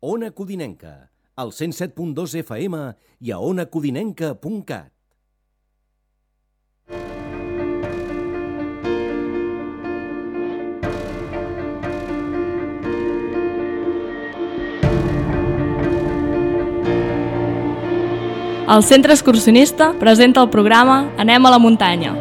Ona Codinenca, al 107.2 FM i a onacodinenca.cat. El Centre Excursionista presenta el programa Anem a la muntanya.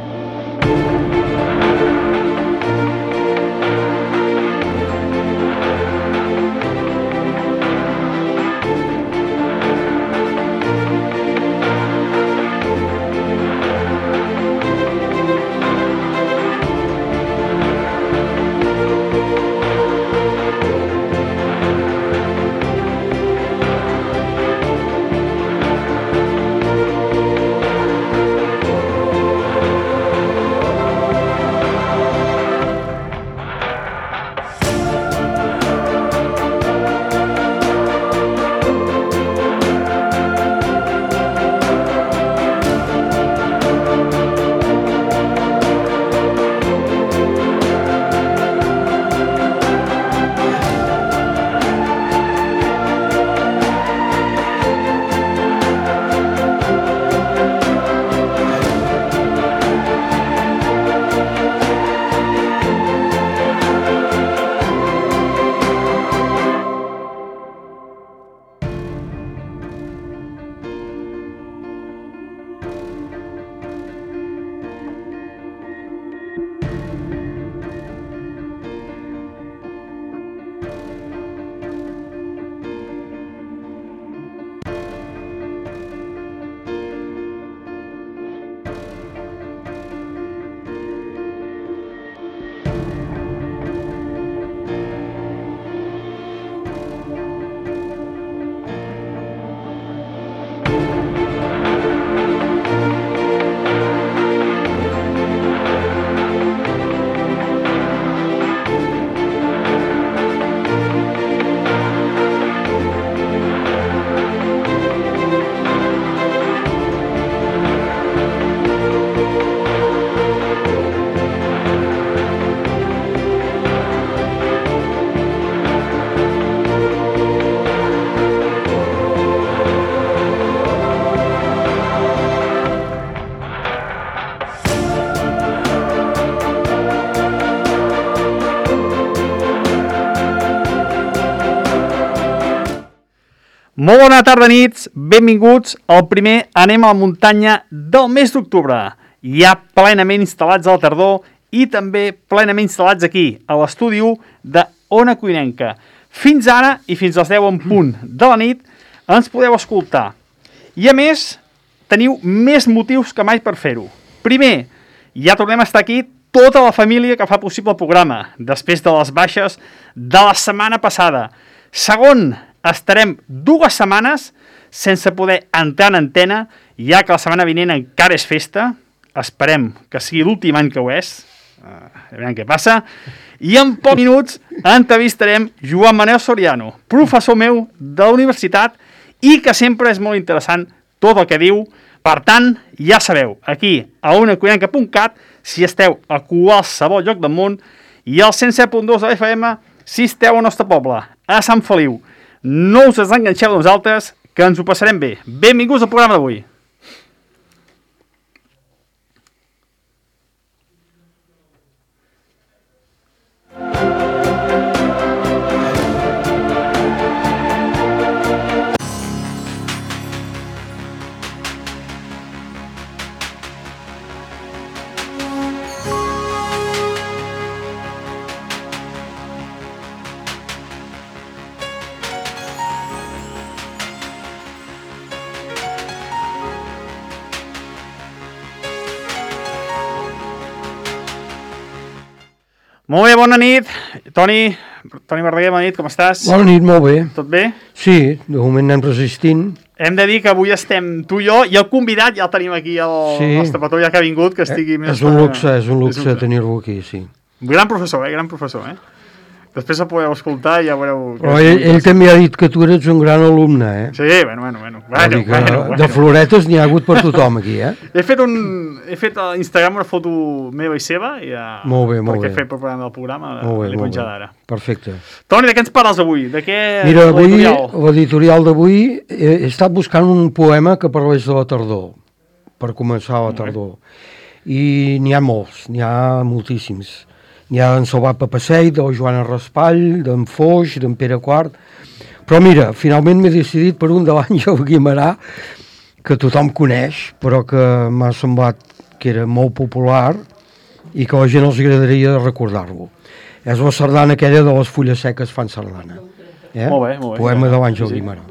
Molt bona tarda, nits, benvinguts al primer Anem a la muntanya del mes d'octubre. Ja plenament instal·lats a la tardor i també plenament instal·lats aquí, a l'estudi 1 d'Ona Codinenca. Fins ara i fins als 10 en punt de la nit ens podeu escoltar. I a més, teniu més motius que mai per fer-ho. Primer, ja tornem a estar aquí tota la família que fa possible el programa, després de les baixes de la setmana passada. Segon, estarem 2 setmanes sense poder entrar en antena, ja que la setmana vinent encara és festa. Esperem que sigui l'últim any que ho és. A veure què passa. I en pocs minuts entrevistarem Joan Manel Soriano, professor meu de la universitat i que sempre és molt interessant tot el que diu. Per tant, ja sabeu, aquí a onacodinenca.cat, si esteu a qualsevol lloc del món, i al 107.2 de l'FM si esteu al nostre poble, a Sant Feliu. No us desenganxeu de nosaltres, que ens ho passarem bé. Benvinguts al programa d'avui. Molt bé, bona nit. Toni Verdaguer, bona nit, com estàs? Bona nit, molt bé. Tot bé? Sí, de moment anem resistint. Hem de dir que avui estem tu i jo, i el convidat ja el tenim aquí, el nostre patró ja que ha vingut, que estigui més... És un luxe tenir-lo aquí, sí. Gran professor, gran professor, Després el podeu escoltar i ja veureu... Però ell també ha dit que tu eres un gran alumne, eh? Sí, bueno. De floretes n'hi ha hagut per tothom aquí, eh? He fet a Instagram una foto meva i seva, molt bé, perquè he fet preparant el programa, l'he penjat ara. Perfecte. Toni, de què ens parles avui? De què... Mira, avui, l'editorial d'avui, he estat buscant un poema que parlés de la tardor, per començar la tardor. I n'hi ha molts, n'hi ha moltíssims. N'hi ha d'en Salvat Papasseit, de la Joana Raspall, d'en Foix, d'en Pere Quart. Però mira, finalment m'he decidit per un de l'Àngel Guimerà, que tothom coneix, però que m'ha semblat que era molt popular i que a la gent els agradaria recordar-lo. És la sardana aquella de les fulles seques fan sardana. Molt bé. Poema de l'Àngel Guimerà.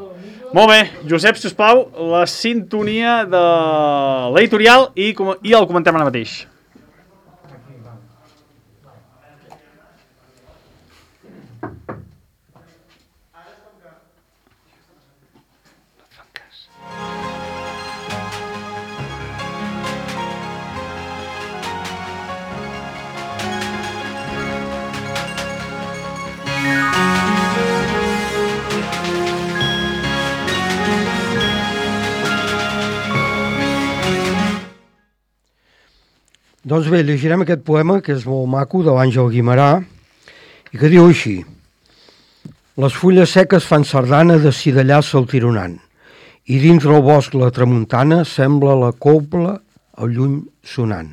Molt bé, Josep, sisplau, la sintonia de l'editorial i el comentem ara mateix. Doncs bé, llegirem aquest poema, que és molt maco, de l'Àngel Guimerà, i que diu així: les fulles seques fan sardana de cidellà saltironant, i dintre el bosc la tramuntana sembla la cobla al lluny sonant.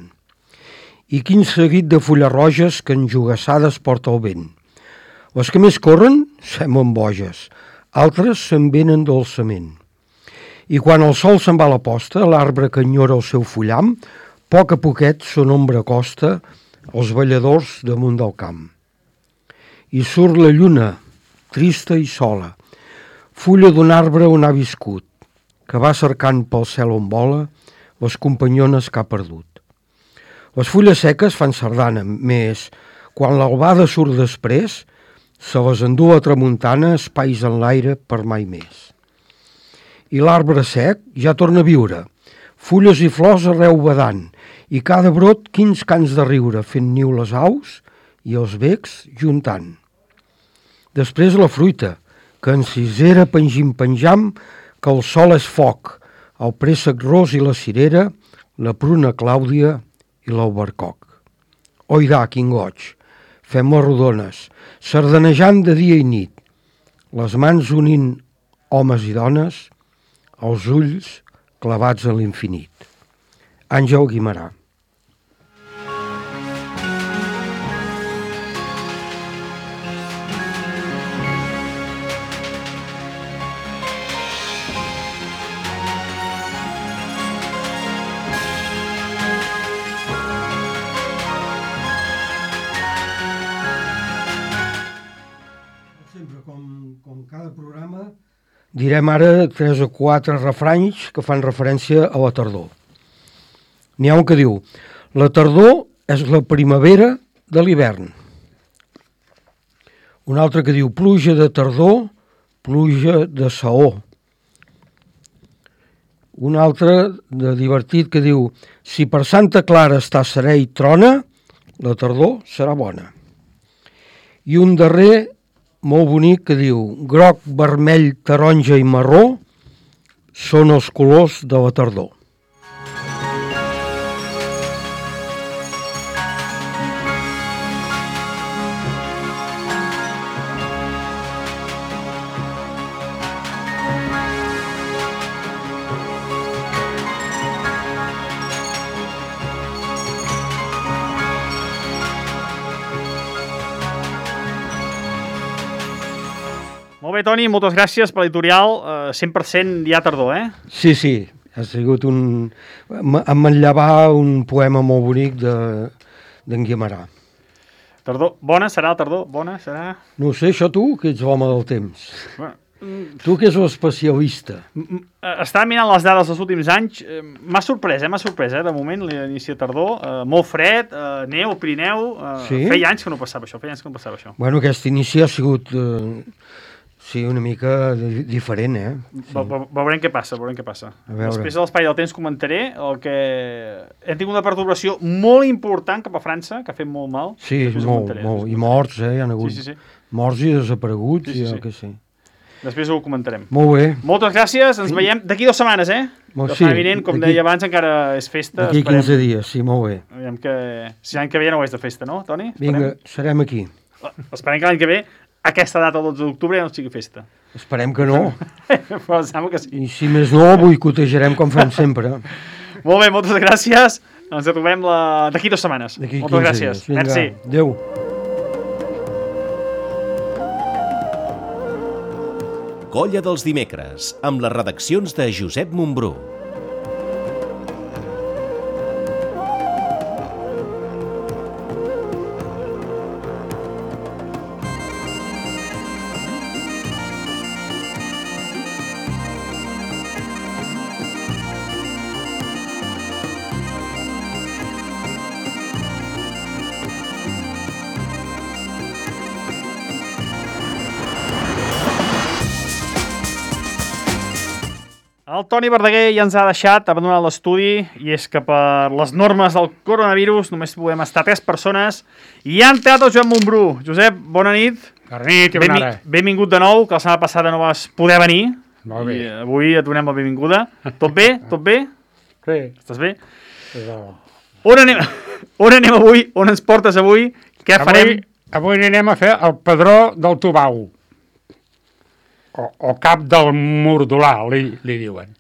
I quin seguit de fulles roges que enjugassades porta el vent. Les que més corren semblen boges, altres se'n venen dolçament. I quan el sol se'n va a la posta, l'arbre que enyora el seu fullam, poc a poquet son ombra costa els balladors damunt del camp. I surt la lluna, trista i sola, fulla d'un arbre on ha viscut, que va cercant pel cel on vola les companyones que ha perdut. Les fulles seques fan sardana, més, quan l'albada surt després, se les endú a tramuntana espais en l'aire per mai més. I l'arbre sec ja torna a viure, fulles i flors arreu badant, i cada brot quins cants de riure, fent niu les aus i els becs juntant. Després la fruita, que en cisera penjam, que el sol és foc, el préssec ros i la cirera, la pruna clàudia i l'albercoc. Oidà, quin goig, fem-les rodones, sardanejant de dia i nit, les mans unint homes i dones, els ulls clavats en l'infinit. Àngel Guimerà. Sempre, com cada programa, direm ara 3 o 4 refranys que fan referència a la tardor. N'hi ha un que diu: la tardor és la primavera de l'hivern. Un altre que diu: pluja de tardor, pluja de saó. Un altre de divertit que diu: si per Santa Clara està serè i trona, la tardor serà bona. I un darrer molt bonic que diu: groc, vermell, taronja i marró són els colors de la tardor. Molt bé, Toni, moltes gràcies per l'editorial. 100% ja tardor, eh? Sí, ha sigut em manllevà un poema molt bonic d'en Guimerà. Tardor, bona serà la tardor? Bona serà? No ho sé, això tu, que ets l'home del temps. Bueno, tu que ets l'especialista. Estava mirant les dades dels últims anys, m'ha sorprès, de moment, l'inici de tardor, molt fred, neu, Pirineu, Sí? feia anys que no passava això, Bueno, aquest inici ha sigut Sí, una mica diferent, Sí. Veurem què passa, Després de l'espai del temps comentaré el que... Hem tingut una perturbació molt important cap a França, que ha fet molt mal. Sí, molt. I morts, Hi ha hagut morts i desapareguts, que sí. Després ho comentarem. Molt bé. Moltes gràcies, ens veiem d'aquí 2 setmanes, La setmana vinent, com deia abans, encara és festa. D'aquí 15 dies, sí, molt bé. Aviam que... Si l'any que ve ja no ho és de festa, no, Toni? Vinga, serem aquí. Esperem que l'any que ve, aquesta data, el 12 d'octubre, ja no sigui festa. Esperem que no. Però sembla que sí. I si més no, boicotejarem com fem sempre. Molt bé, moltes gràcies. Ens trobem d'aquí 2 setmanes. Moltes gràcies. Vinga, merci. Adéu. Colla dels dimecres, amb les redaccions de Josep Montbrú. El Toni Verdaguer ja ens ha deixat abandonar l'estudi i és que per les normes del coronavirus només podem estar 3 persones i ha entrat el Joan Montbrú. Josep, bona nit. Bona nit i bona hora. Benvingut de nou, que la setmana passada no vas poder venir. Molt bé. I avui et donem la benvinguda. Tot bé? Tot bé? Sí. Estàs bé? Sí. On anem avui? On ens portes avui? Què farem? Avui anem a fer el Pedró del Tubau. O cap del Mordolà, li diuen.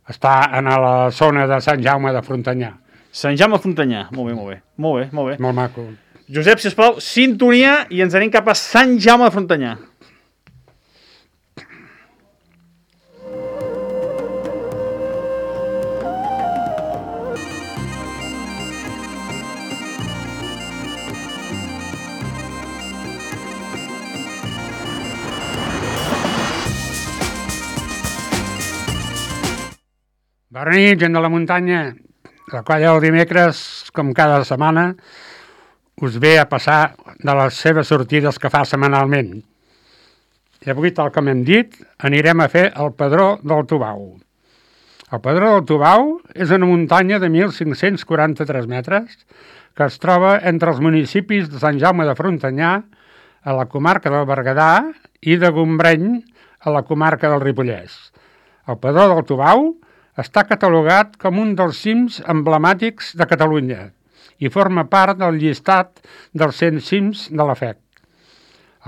Està a la zona de Sant Jaume de Frontanyà. Sant Jaume de Frontanyà, molt bé. Molt maco. Josep, sisplau, sintonia i ens anem cap a Sant Jaume de Frontanyà. Bona nit, gent de la muntanya. La colla del dimecres, com cada setmana, us ve a passar de les seves sortides que fa setmanalment. I avui, tal com hem dit, anirem a fer el Pedró del Tubau. El Pedró del Tubau és una muntanya de 1.543 metres que es troba entre els municipis de Sant Jaume de Frontanyà, a la comarca del Berguedà, i de Gombreny, a la comarca del Ripollès. El Pedró del Tubau està catalogat com un dels cims emblemàtics de Catalunya i forma part del llistat dels 100 cims de la FEC.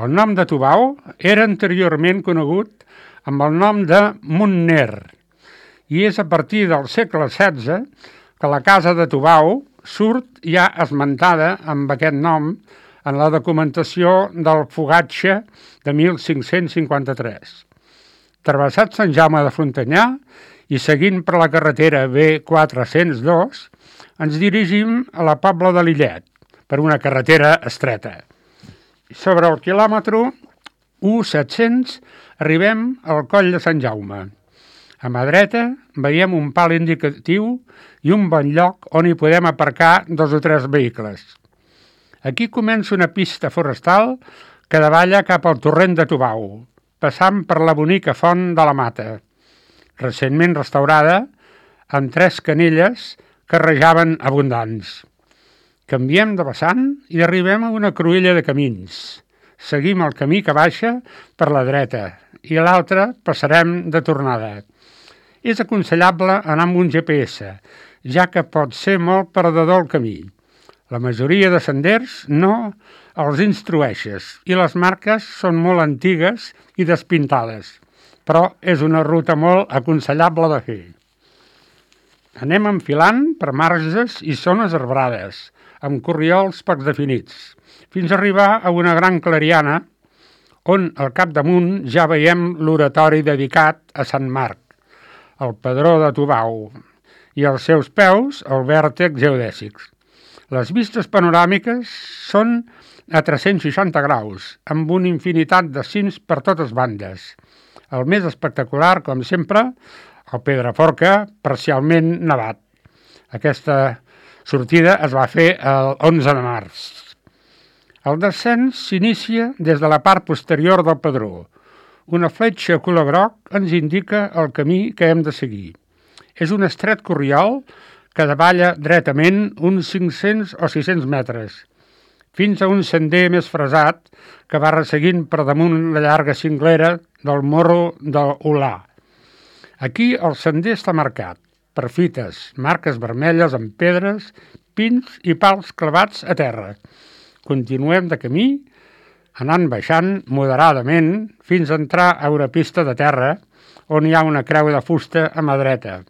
El nom de Tubau era anteriorment conegut amb el nom de Montner i és a partir del segle XVI que la casa de Tubau surt ja esmentada amb aquest nom en la documentació del Fogatge de 1553. Travessat Sant Jaume de Frontanyà i seguint per la carretera B402, ens dirigim a la Pobla de Lillet, per una carretera estreta. Sobre el quilòmetre 1.700 arribem al Coll de Sant Jaume. A mà dreta veiem un pal indicatiu i un bon lloc on hi podem aparcar 2 o 3 vehicles. Aquí comença una pista forestal que davalla cap al torrent de Tubau, passant per la bonica font de la Mata, recentment restaurada, amb 3 canelles que rajaven abundants. Canviem de vessant i arribem a una cruïlla de camins. Seguim el camí que baixa per la dreta i a l'altre passarem de tornada. És aconsellable anar amb un GPS, ja que pot ser molt perdedor el camí. La majoria de senders no els instrueixes i les marques són molt antigues i despintades, però és una ruta molt aconsellable de fer. Anem enfilant per marges i zones arbrades, amb corriols poc definits, fins a arribar a una gran clariana, on al capdamunt ja veiem l'oratori dedicat a Sant Marc, el Pedró de Tubau, i als seus peus el vèrtex geodèsics. Les vistes panoràmiques són a 360 graus, amb una infinitat de cims per totes bandes. El més espectacular, com sempre, el Pedraforca, parcialment nevat. Aquesta sortida es va fer el 11 de març. El descens s'inicia des de la part posterior del pedró. Una fletxa color groc ens indica el camí que hem de seguir. És un estret corriol que davalla dretament uns 500 o 600 metres, fins a un sender més fresat que va resseguint per damunt la llarga cinglera del morro d'Olà. Aquí el sender està marcat per fites, marques vermelles amb pedres, pins i pals clavats a terra. Continuem de camí, anant baixant moderadament fins a entrar a una pista de terra on hi ha una creu de fusta a mà dreta,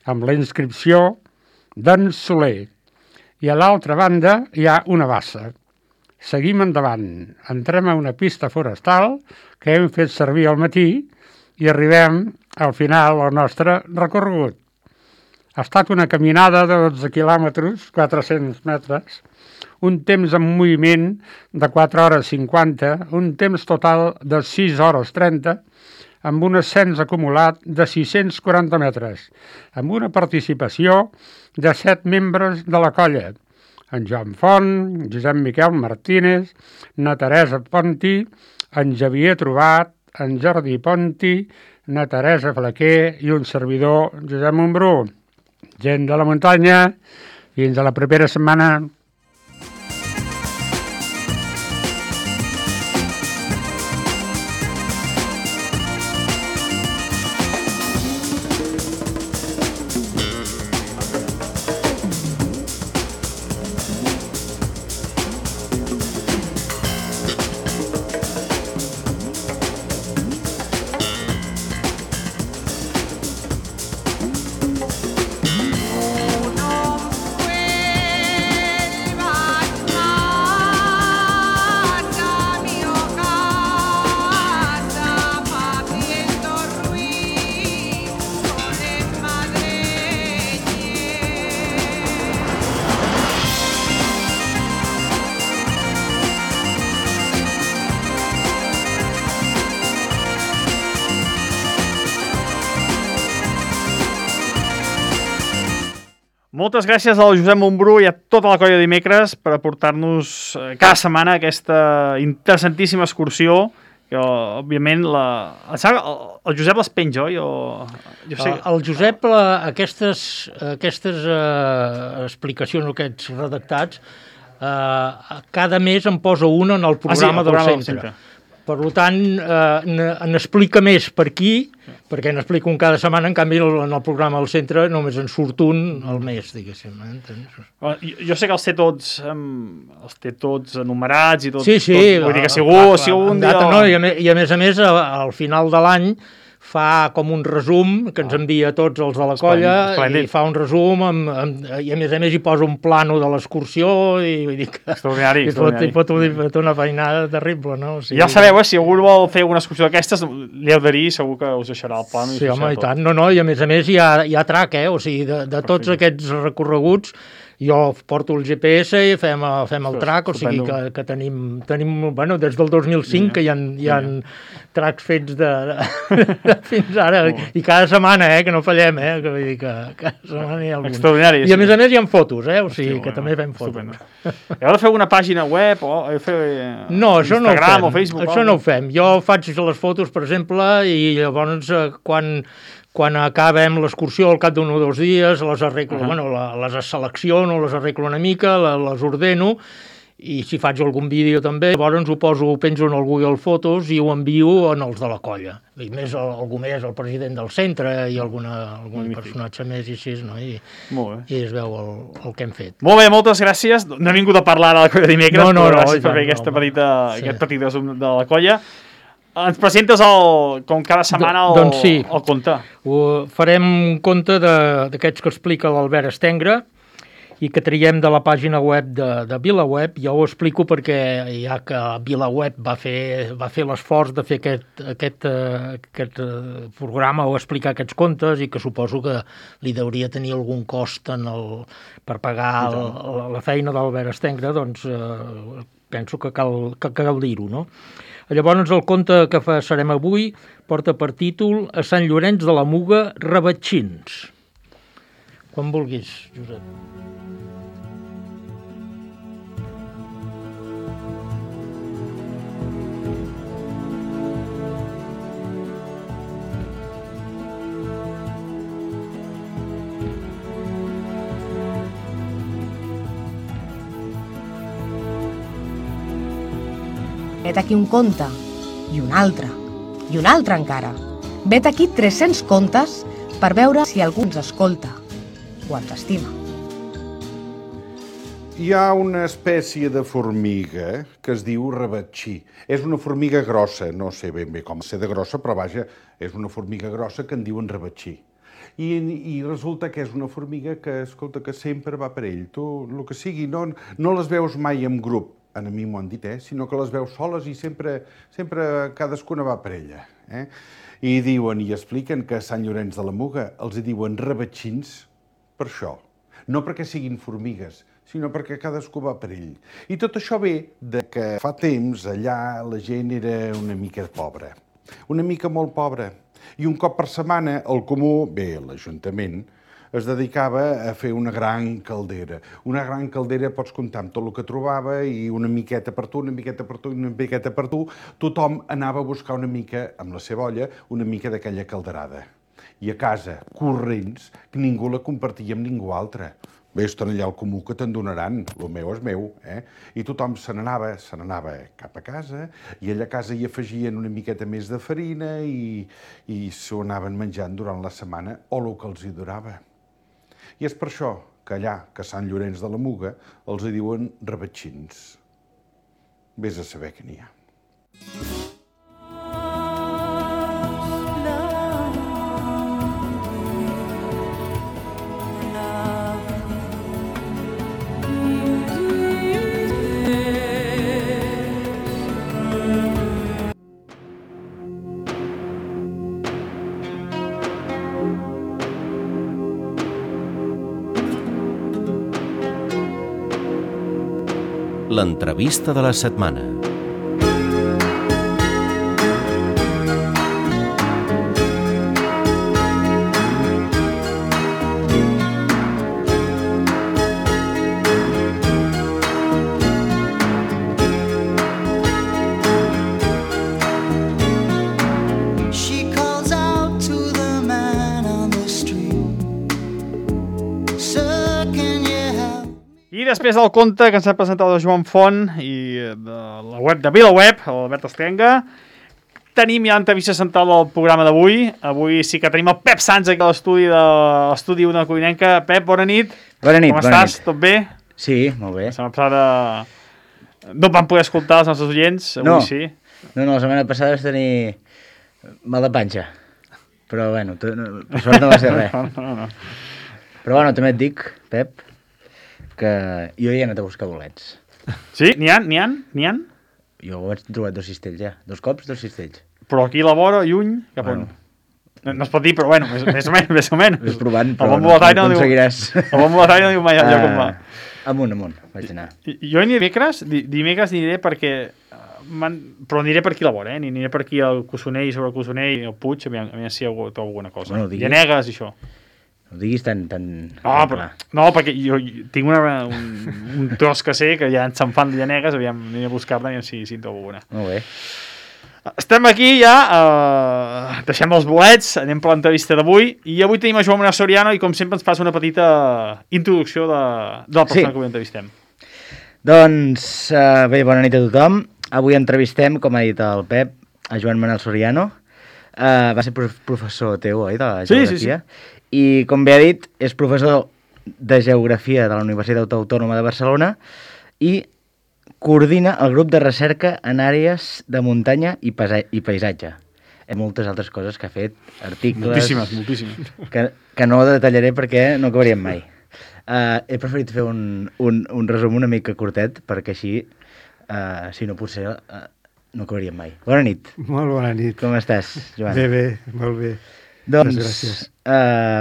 amb la inscripció d'en Soler. I a l'altra banda hi ha una bassa. Seguim endavant, entrem a una pista forestal que hem fet servir al matí i arribem al final del nostre recorregut. Ha estat una caminada de 12 quilòmetres, 400 metres, un temps en moviment de 4 hores 50, un temps total de 6 hores 30, amb un ascens acumulat de 640 metres, amb una participació de 7 membres de la colla, en Joan Font, Josep Miquel Martínez, na Teresa Ponti, en Xavier Trobat, en Jordi Ponti, na Teresa Flaquer i un servidor, Josep Montbrú. Gent de la muntanya, fins a la propera setmana. Moltes gràcies al Josep Montbrú i a tota la colla de dimecres per aportar-nos cada setmana aquesta interessantíssima excursió que, òbviament, el Josep les penja, oi? Jo sé... El Josep, aquestes explicacions o aquests redactats, cada mes en posa una en el programa del centre. Per tant, n'explica més per aquí, perquè n'explica un cada setmana, en canvi en el programa del centre només en surt un al mes, diguéssim. Jo sé que els té tots enumerats i tot. Sí. Vull dir que si algun dia... No, i a més, al final de l'any fa com un resum que ens envia a tots els de la colla i fa un resum i a més hi posa un plano de l'excursió i vull dir que extraordinari. Hi pot una feinada terrible, no? O sigui, ja sabeu, si algú vol fer una excursió d'aquestes, li heu de dir, segur que us deixarà el plano. Sí, home, i tant. No, i a més hi ha track, o sigui, de tots aquests recorreguts jo porto el GPS i fem el track, o sigui que tenim bueno, des del 2005 que hi ha tracks fets de fins ara, i cada setmana, que no fallem, que vull dir que cada setmana hi ha algun. Extraordinari. I a més hi ha fotos, o sigui que també fem fotos. Heu de fer una pàgina web o fer Instagram o Facebook? Això no ho fem. Jo faig les fotos, per exemple, i llavors quan acabem l'excursió al cap d'un o 2 dies, les arreglo, les selecciono, les arreglo una mica, les ordeno, i si faig algun vídeo també, llavors ho penjo en el Google Fotos i ho envio en els de la colla. I algú més, el president del centre i algun personatge més i així, no? I es veu el que hem fet. Molt bé, moltes gràcies. No he vingut a parlar de la colla dimecres, però gràcies per fer aquest petit resum de la colla. Ens presentes, com cada setmana, el conte. Farem un conte d'aquests que explica l'Albert Estengre i que traiem de la pàgina web de VilaWeb. Jo ho explico perquè ja que VilaWeb va fer l'esforç de fer aquest programa o explicar aquests contes i que suposo que li hauria tenir algun cost per pagar la feina d'Albert Estengre, doncs penso que cal dir-ho, no? Llavors el conte que farem avui porta per títol A Sant Llorenç de la Muga, Rebatxins. Quan vulguis, Josep. vet aquí un conte, i un altre encara. Vet aquí 300 contes per veure si algú ens escolta o ens estima. Hi ha una espècie de formiga que es diu rebatxí. És una formiga grossa, no sé ben bé com ser de grossa, però vaja, és una formiga grossa que en diuen rebatxí. I resulta que és una formiga que, escolta, que sempre va per ell. Tu, el que sigui, no les veus mai en grup, a mi m'ho han dit, sinó que les veus soles i sempre cadascuna va per ella. I diuen i expliquen que a Sant Llorenç de la Muga els hi diuen rebatxins per això. No perquè siguin formigues, sinó perquè cadascú va per ell. I tot això ve de que fa temps allà la gent era una mica pobra, una mica molt pobra. I un cop per setmana el comú, l'Ajuntament, es dedicava a fer una gran caldera. Una gran caldera pots comptar amb tot el que trobava i una miqueta per tu, una miqueta per tu, una miqueta per tu. Tothom anava a buscar una mica, amb la seva olla, una mica d'aquella calderada. I a casa, corrents, que ningú la compartia amb ningú altre. Vés-te'n allà al comú que te'n donaran, el meu és meu, I tothom se n'anava cap a casa i allà a casa hi afegien una miqueta més de farina i s'ho anaven menjant durant la setmana o el que els hi durava. I és per això que allà, que a Sant Llorenç de la Muga, els hi diuen rebatxins. Vés a saber què n'hi ha. L'entrevista de la setmana. I després del conte que ens ha presentat el Joan Font i de la web de VilaWeb, l'Albert Estenga, tenim ja l'entrevista central del programa d'avui. Avui sí que tenim el Pep Sans aquí a l'estudi Ona Codinenca. Pep, bona nit. Bona nit, com bona estàs? nit. Tot bé? Sí, molt bé. La setmana passada no vam poder escoltar els nostres oients, avui sí. No, la setmana passada vas tenir mal de panxa. Però bueno, per sort no va ser res. No. Però bueno, també et dic, Pep, que jo hi he anat a buscar bolets. Sí? N'hi ha? Jo ho vaig trobar 2 cistells ja. 2 cops, 2 cistells. Però aquí a la vora, lluny, cap on? No es pot dir, però bueno, més o menys. Ves provant, El però bon no aconseguiràs. El bon boletaire no diu mai allò com va. Amunt, vaig anar. Jo dimecres aniré perquè... Però aniré per aquí a la vora, aniré per aquí al Cossonell, sobre el Cossonell, el Puig, a mi si trobo alguna cosa. Bueno, Llanegues i això. No diguis tan... No, perquè jo tinc un tros que sé, que ja ens se'n fan de Llanegues, aviam, aniré a buscar-la i si en trobo una. Molt bé. Estem aquí ja, deixem els bolets, anem per l'entrevista d'avui, i avui tenim a Joan Manuel Soriano i com sempre ens fas una petita introducció de la persona que avui entrevistem. Doncs bé, bona nit a tothom. Avui entrevistem, com ha dit el Pep, a Joan Manuel Soriano. Va ser professor teu, oi, de geografia? Sí. I, com bé ha dit, és professor de geografia de la Universitat Autònoma de Barcelona i coordina el grup de recerca en àrees de muntanya i paisatge. Hi ha moltes altres coses que ha fet, articles... Moltíssimes. Que no detallaré perquè no acabaríem mai. He preferit fer un resum una mica curtet perquè així, si no potser, no acabaríem mai. Bona nit. Molt bona nit. Com estàs, Joan? Bé, molt bé. Doncs, gràcies.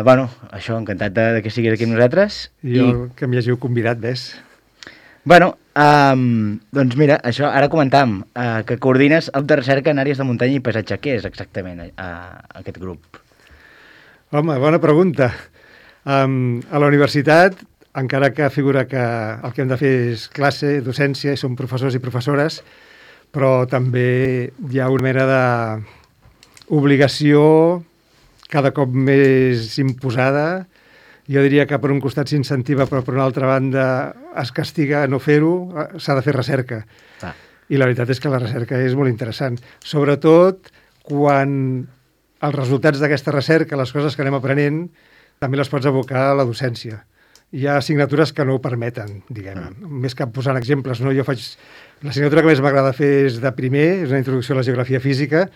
Bueno, això, encantat de que siguis aquí amb nosaltres. Jo que m'hi hàgiu convidat, ves. Bueno, doncs mira, això, ara comentàvem que coordines el de recerca en àrees de muntanya i paisatge. Què és exactament aquest grup? Home, bona pregunta. A la universitat, encara que figura que el que hem de fer és classe, docència, i som professors i professores, però també hi ha una mena d'obligació cada cop més imposada. Jo diria que per un costat s'incentiva, però per una altra banda es castiga a no fer-ho, s'ha de fer recerca. i la veritat és que la recerca és molt interessant. Sobretot quan els resultats d'aquesta recerca, les coses que anem aprenent, també les pots abocar a la docència. Hi ha assignatures que no ho permeten, diguem. Més que posant exemples, no? L'assignatura que més m'agrada fer és de primer, és una introducció a la geografia física,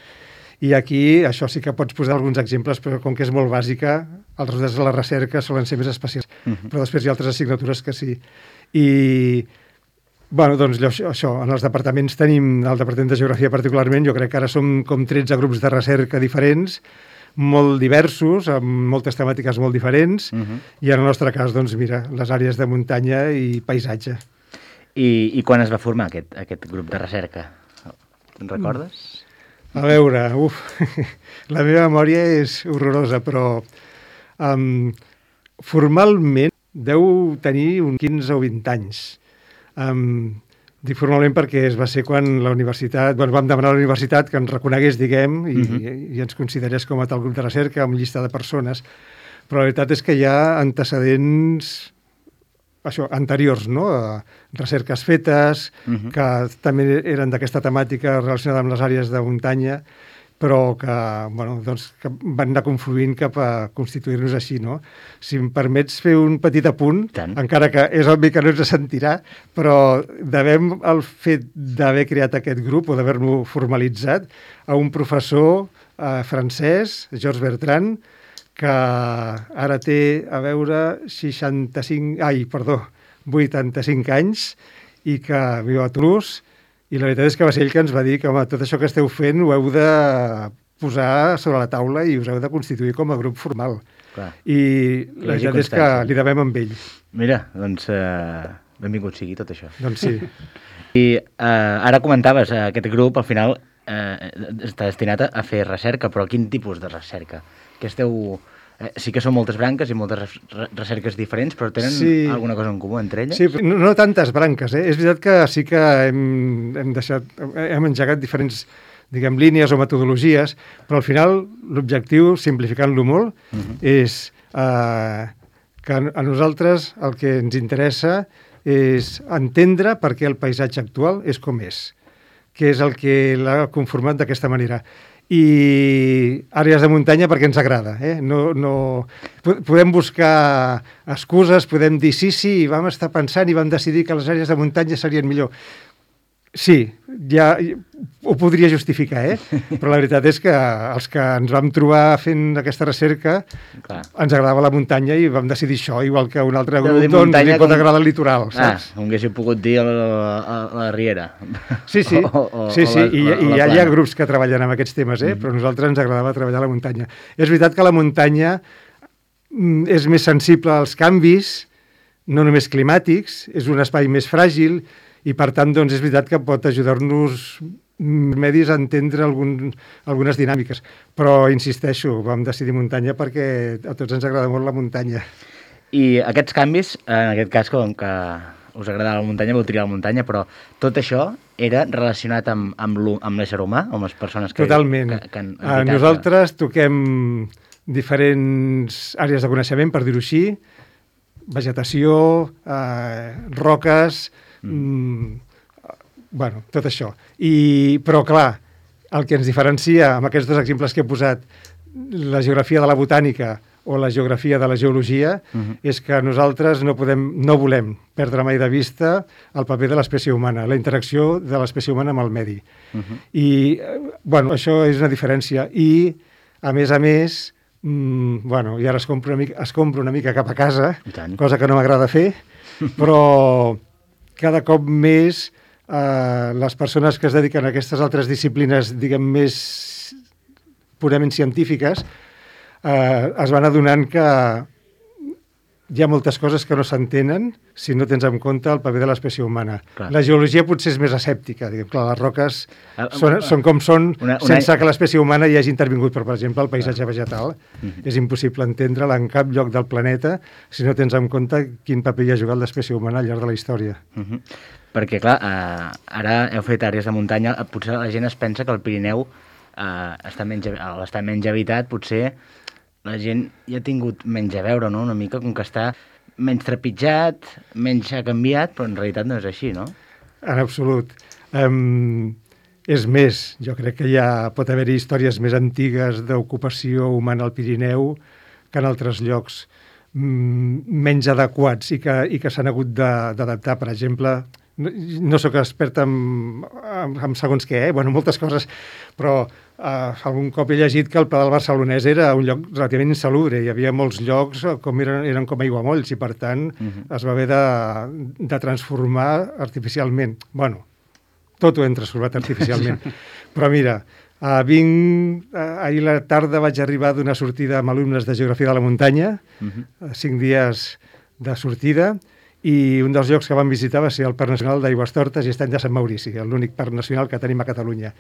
i aquí això sí que pots posar alguns exemples, però com que és molt bàsica, els resultats de la recerca solen ser més especials. Però després hi ha altres assignatures que sí. I, bueno, doncs això, en els departaments tenim, el Departament de Geografia particularment, jo crec que ara som com 13 grups de recerca diferents, molt diversos, amb moltes temàtiques molt diferents, i en el nostre cas, doncs mira, les àrees de muntanya i paisatge. I quan es va formar aquest grup de recerca? Te'n recordes? A veure, la meva memòria és horrorosa, però formalment deu tenir uns 15 o 20 anys. Dic formalment perquè va ser quan la universitat, vam demanar a la universitat que ens reconegués, diguem, i ens considerés com a tal grup de recerca, amb llista de persones, però la veritat és que hi ha antecedents anteriors, no? Recerques fetes, que també eren d'aquesta temàtica relacionada amb les àrees de muntanya, però que van anar confluint cap a constituir-nos així, no? Si em permets fer un petit apunt, encara que és obvi que no ens sentirà, però devem el fet d'haver creat aquest grup o d'haver-lo formalitzat a un professor francès, Georges Bertrand, que ara té, 85 anys i que viu a Toulouse. I la veritat és que va ser ell que ens va dir que tot això que esteu fent ho heu de posar sobre la taula i us heu de constituir com a grup formal. Clar. I la veritat és que li devem amb ell. Mira, doncs benvingut sigui tot això. Doncs sí. I ara comentaves, aquest grup al final està destinat a fer recerca, però quin tipus de recerca? Que esteu... Sí que són moltes branques i moltes recerques diferents, però tenen alguna cosa en comú entre elles? Sí, no tantes branques. És veritat que sí que hem engegat diferents, diguem, línies o metodologies, però al final l'objectiu, simplificant-lo molt, és que a nosaltres el que ens interessa és entendre per què el paisatge actual és com és, què és el que l'ha conformat d'aquesta manera. I àrees de muntanya perquè ens agrada. Podem buscar excuses, podem dir sí, vam estar pensant i vam decidir que les àrees de muntanya serien millor. Sí, ja ho podria justificar, però la veritat és que els que ens vam trobar fent aquesta recerca ens agradava la muntanya i vam decidir això, igual que un altre grup li pot agradar el litoral. Com haguéssiu pogut dir a la Riera. Sí, i hi ha grups que treballen amb aquests temes, però a nosaltres ens agradava treballar a la muntanya. És veritat que la muntanya és més sensible als canvis, no només climàtics, és un espai més fràgil, i per tant doncs, és veritat que pot ajudar-nos medis a entendre algunes dinàmiques. Però, insisteixo, vam decidir muntanya perquè a tots ens agrada molt la muntanya. I aquests canvis, en aquest cas, com que us agradava la muntanya, vau triar la muntanya, però tot això era relacionat amb l'ésser humà, amb les persones que... Totalment. Nosaltres toquem diferents àrees de coneixement, per dir-ho així, vegetació, roques... tot això. Però, clar, el que ens diferencia amb aquests dos exemples que he posat, la geografia de la botànica o la geografia de la geologia, és que nosaltres no volem perdre mai de vista el paper de l'espècie humana, la interacció de l'espècie humana amb el medi. I, això és una diferència. I, a més, i ara es compra una mica cap a casa, cosa que no m'agrada fer, però cada cop més les persones que es dediquen a aquestes altres disciplines, diguem, més purament científiques, es van adonant que hi ha moltes coses que no s'entenen si no tens en compte el paper de l'espècie humana. Clar. La geologia potser és més escèptica. Diguem, clar, les roques són com són sense que l'espècie humana hi hagi intervingut. Però, per exemple, el paisatge vegetal és impossible entendre'l en cap lloc del planeta si no tens en compte quin paper hi ha jugat l'espècie humana al llarg de la història. Perquè, clar, ara heu fet àrees de muntanya, potser la gent es pensa que el Pirineu està menys habitat, potser la gent ja ha tingut menys a veure, no? Una mica com que està menys trepitjat, menys ha canviat, però en realitat no és així, no? En absolut. És més, jo crec que pot haver-hi històries més antigues d'ocupació humana al Pirineu que en altres llocs menys adequats i que s'han hagut d'adaptar. Per exemple, no sóc expert en segons què, moltes coses, però algun cop he llegit que el Pla del Barcelonès era un lloc relativament insalubre. Hi havia molts llocs com eren com aiguamolls i, per tant, es va haver de transformar artificialment. Tot ho hem transformat artificialment. Però mira, ahir a la tarda vaig arribar d'una sortida amb alumnes de Geografia de la Muntanya, 5 dies de sortida, i un dels llocs que vam visitar va ser el Parc Nacional d'Aigüestortes i Estany de Sant Maurici, l'únic parc nacional que tenim a Catalunya.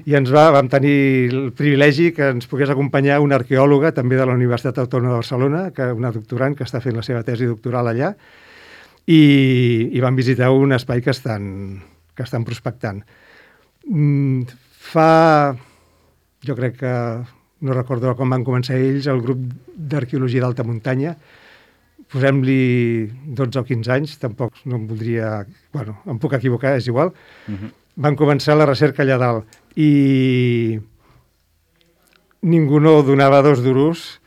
I vam tenir el privilegi que ens pogués acompanyar una arqueòloga, també de la Universitat Autònoma de Barcelona, una doctorant que està fent la seva tesi doctoral allà, i vam visitar un espai que estan prospectant. Jo crec que, no recordo com van començar ells, el grup d'arqueologia d'alta muntanya, posem-li 12 o 15 anys, tampoc no em voldria... em puc equivocar, és igual. Van començar la recerca allà dalt i ningú no donava 2 duros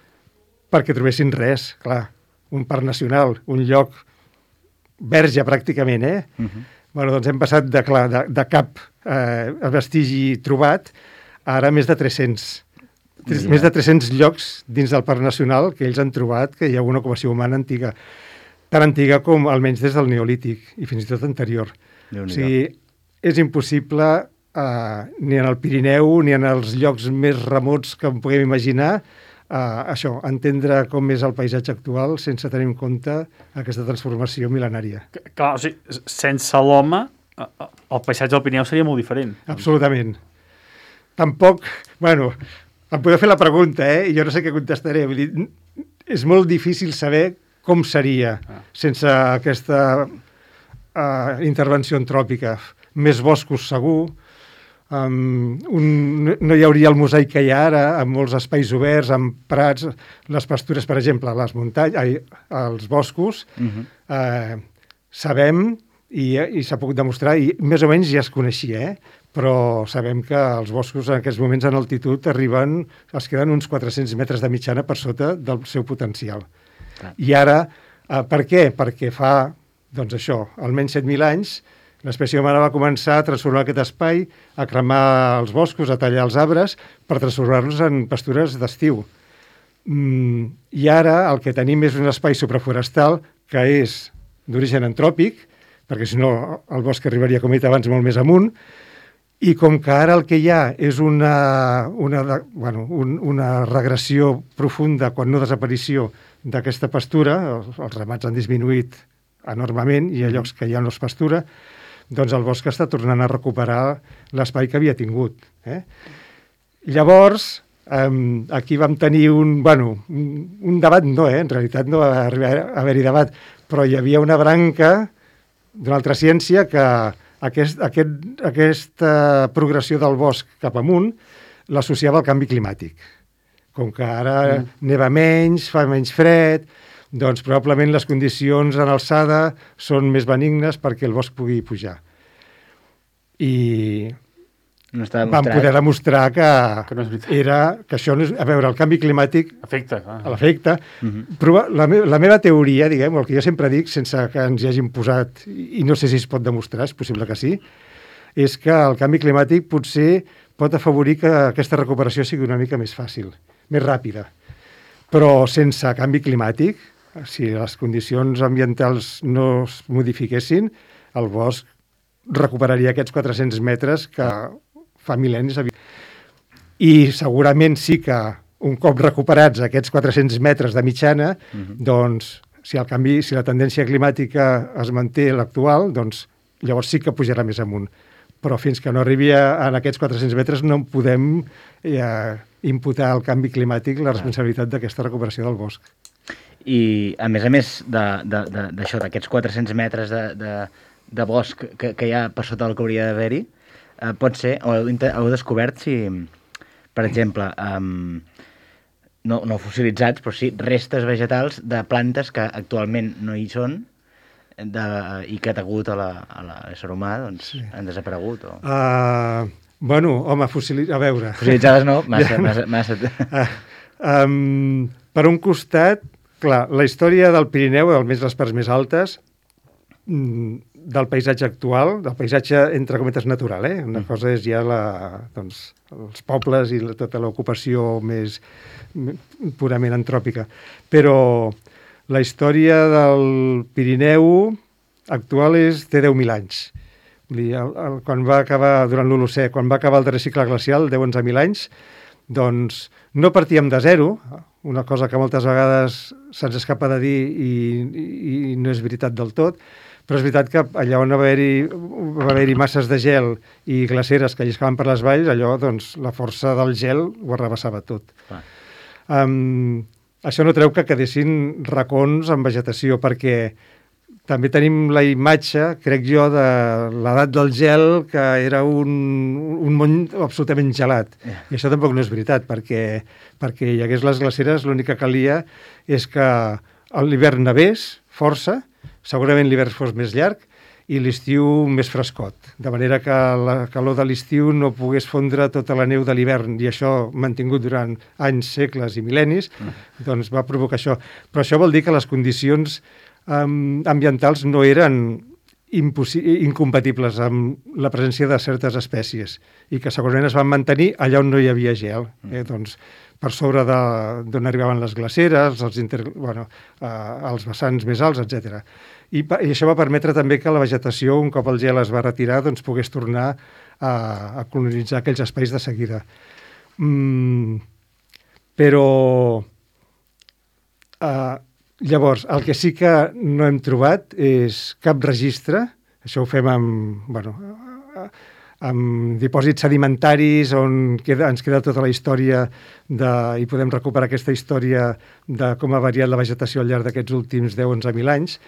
perquè trobessin res. Clar, un parc nacional, un lloc verge pràcticament, doncs hem passat de cap vestigi trobat a ara més de 300. Més de 300 llocs dins del Parc Nacional que ells han trobat que hi ha una ocupació humana antiga, tan antiga com almenys des del Neolític i fins i tot anterior. O sigui, és impossible ni en el Pirineu ni en els llocs més remots que en puguem imaginar entendre com és el paisatge actual sense tenir en compte aquesta transformació mil·lenària. Clar, o sigui, sense l'home el paisatge del Pirineu seria molt diferent. Absolutament. Tampoc, em podeu fer la pregunta, i jo no sé què contestaré. Vull dir, és molt difícil saber com seria sense aquesta intervenció antròpica. Més boscos, segur. No hi hauria el mosaic que hi ha ara, amb molts espais oberts, amb prats, les pastures, per exemple, les muntanyes, els boscos. Sabem, i s'ha pogut demostrar, i més o menys ja es coneixia, però sabem que els boscos en aquests moments en altitud es queden uns 400 metres de mitjana per sota del seu potencial. I ara, per què? Perquè fa, almenys 7.000 anys, l'espècie humana va començar a transformar aquest espai, a cremar els boscos, a tallar els arbres, per transformar-los en pastures d'estiu. I ara el que tenim és un espai supraforestal que és d'origen antròpic, perquè si no el bosc arribaria, com he dit abans, molt més amunt, i com que ara el que hi ha és una regressió profunda, quan no desaparició, d'aquesta pastura, els ramats han disminuït enormement i hi ha llocs que ja no es pastura, doncs el bosc està tornant a recuperar l'espai que havia tingut. Llavors, aquí vam tenir un debat, en realitat no va arribar a haver-hi debat, però hi havia una branca d'una altra ciència que aquesta progressió del bosc cap amunt l'associava al canvi climàtic. Com que ara neva menys, fa menys fred, doncs probablement les condicions en alçada són més benignes perquè el bosc pugui pujar. I vam poder demostrar que això, a veure, el canvi climàtic l'afecta. La meva teoria, diguem, el que jo sempre dic, sense que ens hi hagin posat, i no sé si es pot demostrar, és possible que sí, és que el canvi climàtic potser pot afavorir que aquesta recuperació sigui una mica més fàcil, més ràpida. Però sense canvi climàtic, si les condicions ambientals no es modifiquessin, el bosc recuperaria aquests 400 metres que fa mil·lennis. I segurament sí que un cop recuperats aquests 400 metres de mitjana, doncs si la tendència climàtica es manté l'actual, doncs llavors sí que pujarà més amunt. Però fins que no arribi a aquests 400 metres no podem imputar al canvi climàtic la responsabilitat d'aquesta recuperació del bosc. I a més d'això, d'aquests 400 metres de bosc que hi ha per sota del que hauria d'haver-hi, pot ser, heu descobert si, per exemple, no fossilitzats, però sí restes vegetals de plantes que actualment no hi són i que degut a l'ésser humà doncs, han desaparegut? O... Bueno, home, a veure... Fossilitzades no, massa... Per un costat, clar, la història del Pirineu, almenys les parts més altes, del paisatge actual, del paisatge entre cometes natural, Una cosa és ja els pobles i tota l'ocupació més purament antròpica. Però la història del Pirineu actual té 10.000 anys. Vull dir, quan va acabar, durant l'Holocè, quan va acabar el darrer cicle glacial, 10-11.000 anys, doncs no partíem de zero, una cosa que moltes vegades se'ns escapa de dir i no és veritat del tot, però és veritat que allà on va haver-hi masses de gel i glaceres que lliscaven per les valls, allò, doncs, la força del gel ho arrabassava tot. Això no treu que quedessin racons amb vegetació, perquè també tenim la imatge, crec jo, de l'edat del gel, que era un món absolutament gelat. I això tampoc no és veritat, perquè hi hagués les glaceres, l'únic que calia és que l'hivern nevés força, segurament l'hivern fos més llarg, i l'estiu més frescot, de manera que la calor de l'estiu no pogués fondre tota la neu de l'hivern, i això mantingut durant anys, segles i mil·lennis, doncs va provocar això. Però això vol dir que les condicions ambientals no eren incompatibles amb la presència de certes espècies i que segurament es van mantenir allà on no hi havia gel, doncs per sobre d'on arribaven les glaceres, els vessants més alts, etc. I això va permetre també que la vegetació, un cop el gel es va retirar, doncs pogués tornar a colonitzar aquells espais de seguida. Però llavors, el que sí que no hem trobat és cap registre, això ho fem amb dipòsits sedimentaris on ens queda tota la història i podem recuperar aquesta història de com ha variat la vegetació al llarg d'aquests últims 10-11.000 anys,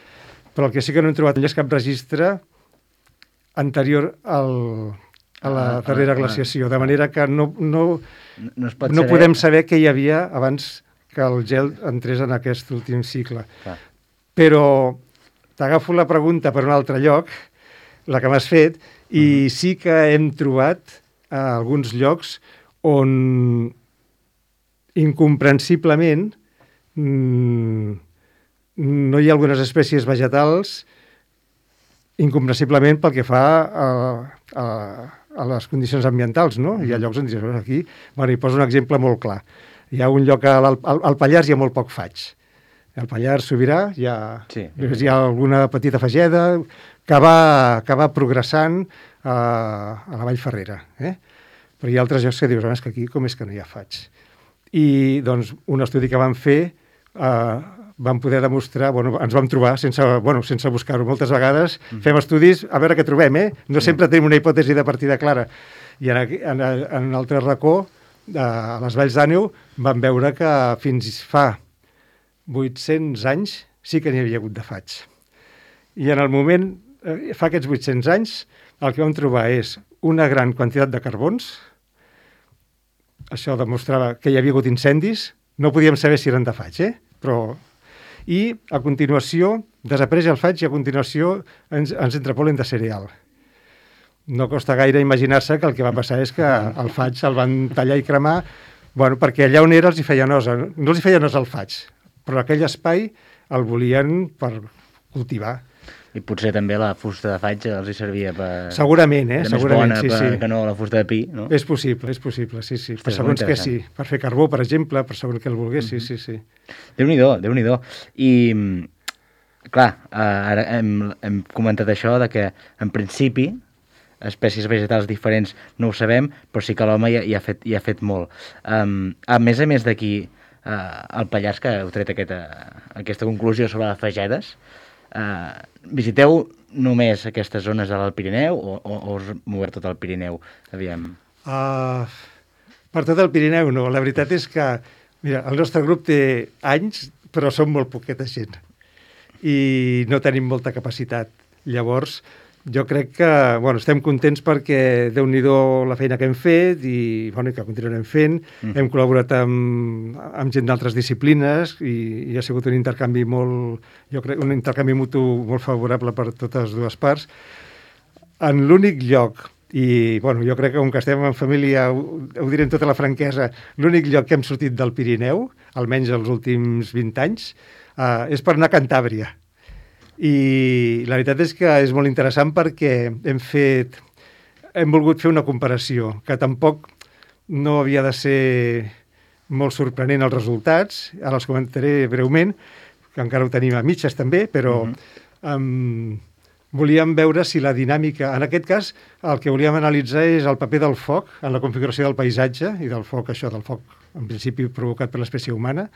però el que sí que no hem trobat és cap registre anterior a la darrera glaciació, de manera que no podem saber què hi havia abans que el gel entrés en aquest últim cicle. Però t'agafo la pregunta per un altre lloc, la que m'has fet, i sí que hem trobat alguns llocs on incomprensiblement no hi ha algunes espècies vegetals incomprensiblement pel que fa a les condicions ambientals, no? Hi ha llocs on dius, aquí, hi poso un exemple molt clar. Hi ha un lloc al Pallars hi ha molt poc faig. Al Pallars Sobirà hi ha alguna petita fageda que va progressant a la Vall Ferrera. Però hi ha altres llocs que dius, que aquí com és que no hi ha faig? I doncs un estudi que vam fer vam poder demostrar, ens vam trobar sense buscar-ho. Moltes vegades fem estudis a veure què trobem, No sempre tenim una hipòtesi de partida clara. I en un altre racó, a les Valls d'Àneu, vam veure que fins fa 800 anys sí que n'hi havia hagut de faig. I en el moment, fa aquests 800 anys, el que vam trobar és una gran quantitat de carbons. Això demostrava que hi havia hagut incendis. No podíem saber si eren de faig, però... I, a continuació, desapareix el faig i a continuació ens entra pol·len de cereal. No costa gaire imaginar-se que el que va passar és que el faig el van tallar i cremar, perquè allà on era els hi feia nosa. No els hi feia nosa el faig, però aquell espai el volien per cultivar. I potser també la fusta de faig els hi servia per... Segurament, segurament, sí. Que no la fusta de pi, no? És possible, sí. Per segons què sí. Per fer carbó, per exemple, per segons què el volgués, sí. Déu-n'hi-do. I, clar, ara hem comentat això de que, en principi, espècies vegetals diferents no ho sabem, però sí que l'home hi ha fet molt. A més d'aquí, al Pallars, que heu tret aquesta conclusió sobre les fagedes, visiteu només aquestes zones de l'Alt Pirineu o us moveu tot el Pirineu? Aviam. Per tot el Pirineu no. La veritat és que mira, el nostre grup té anys, però som molt poqueta gent i no tenim molta capacitat. Llavors, jo crec que estem contents perquè Déu-n'hi-do la feina que hem fet i que continuarem fent. Hem col·laborat amb gent d'altres disciplines i ha sigut un intercanvi un intercanvi mutu molt favorable per totes dues parts. En l'únic lloc, i jo crec que com que estem en família ho diré amb tota la franquesa, l'únic lloc que hem sortit del Pirineu, almenys els últims 20 anys, és per anar a Cantàbria. I la veritat és que és molt interessant perquè hem volgut fer una comparació, que tampoc no havia de ser molt sorprenent els resultats, ara els comentaré breument, que encara ho tenim a mitges també, però volíem veure si la dinàmica... En aquest cas, el que volíem analitzar és el paper del foc en la configuració del paisatge i del foc, del foc en principi provocat per l'espècie humana,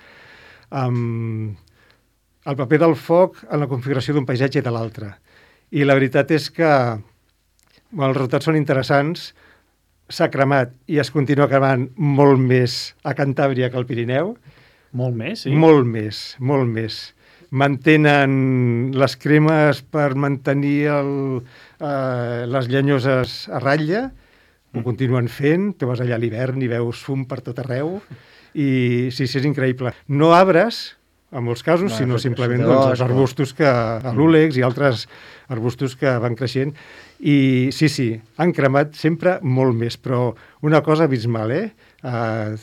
el paper del foc en la configuració d'un paisatge i de l'altre. I la veritat és que els resultats són interessants, s'ha cremat i es continua cremant molt més a Cantàbria que al Pirineu. Molt més, sí? Molt més. Mantenen les cremes per mantenir les llenyoses a ratlla, ho continuen fent, tu vas allà a l'hivern i veus fum per tot arreu, i sí, és increïble. No arbres, en molts casos, sinó simplement els arbustos l'úlex i altres arbustos que van creixent. I sí, han cremat sempre molt més, però una cosa abismal, el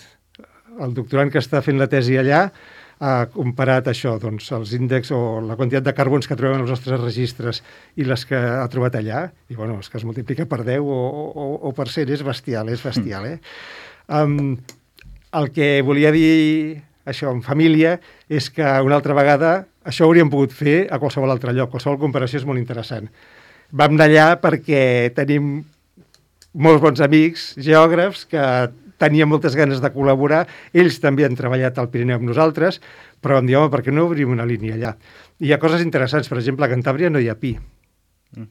doctorand que està fent la tesi allà ha comparat això, doncs, els índexs o la quantitat de carbons que trobem en els nostres registres i les que ha trobat allà, i és que es multiplica per 10 o per 100, és bestial, el que volia dir això en família és que una altra vegada això ho hauríem pogut fer a qualsevol altre lloc, qualsevol comparació és molt interessant. Vam anar allà perquè tenim molts bons amics, geògrafs, que tenien moltes ganes de col·laborar, ells també han treballat al Pirineu amb nosaltres, però vam dir, per què no obrim una línia allà? I hi ha coses interessants, per exemple, a Cantàbria no hi ha pi,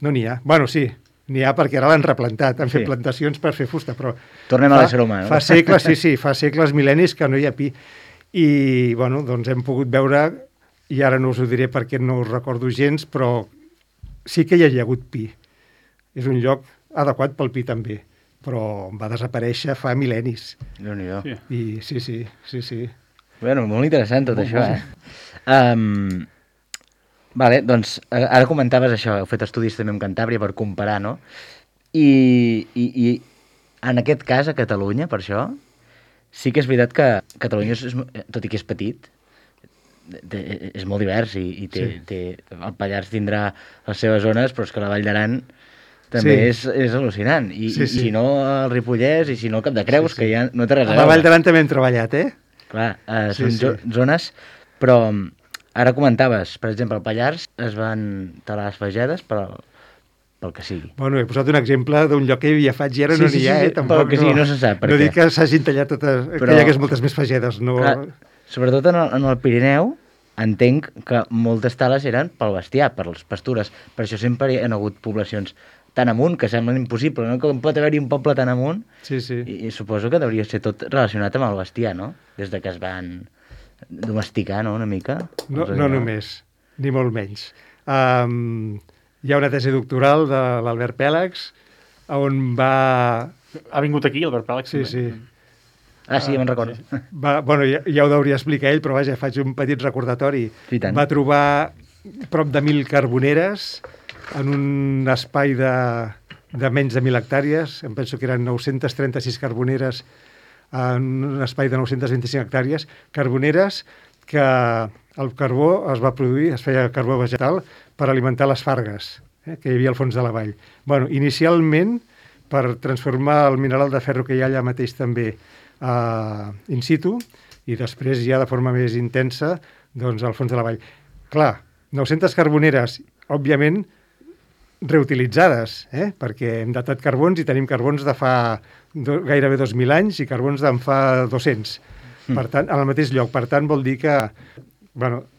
no n'hi ha. Sí, n'hi ha perquè ara l'han replantat, han fet plantacions per fer fusta, però... Tornem a l'ésser humà, no? Fa segles, fa segles, mil·lennis que no hi ha pi. I, doncs hem pogut veure, i ara no us ho diré perquè no us recordo gens, però sí que hi ha hagut pi. És un lloc adequat pel pi també, però va desaparèixer fa mil·lennis. Déu-n'hi-do. I sí. Bueno, molt interessant tot això, Vale, doncs ara comentaves això, heu fet estudis també amb Cantàbria per comparar, no? I en aquest cas a Catalunya, per això, sí que és veritat que Catalunya, tot i que és petit, és molt divers i el Pallars tindrà les seves zones, però és que la Vall d'Aran també és al·lucinant. I si no el Ripollès, i si no el Cap de Creus, que ja no té res a veure. A la Vall d'Aran també hem treballat, Clar, són zones, però ara comentaves, per exemple, al Pallars es van talar les fagedes pel que sigui. He posat un exemple d'un lloc que hi havia faig i ara no n'hi ha, tampoc pel que sigui, no se sap. No dic que s'hagin tallat totes, que hi hagués moltes més fagedes. Clar, sobretot en el Pirineu, entenc que moltes tales eren pel bestiar, per les pastures. Per això sempre hi ha hagut poblacions tan amunt, que semblen impossible, no? Com pot haver-hi un poble tan amunt. Sí. I suposo que hauria ser tot relacionat amb el bestiar, no? Des de que es van domesticar, no?, una mica. No només, ni molt menys. Hi ha una tesi doctoral de l'Albert Pèlags, on va... Ha vingut aquí, Albert Pèlags? Sí. Sí, me'n recordo. Ja ho deuria explicar ell, però vaja, faig un petit recordatori. Va trobar prop de 1.000 carboneres en un espai de menys de 1.000 hectàrees. Em penso que eren 936 carboneres en un espai de 925 hectàrees. Carboneres que el carbó es va produir, es feia carbó vegetal, per alimentar les fargues que hi havia al fons de la vall. Inicialment, per transformar el mineral de ferro que hi ha allà mateix també in situ, i després ja de forma més intensa doncs al fons de la vall. Clar, 900 carboneres, òbviament, reutilitzades, perquè hem datat carbons i tenim carbons de fa gairebé 2.000 anys i carbons d'en fa 200. Per tant, en el mateix lloc. Per tant, vol dir que...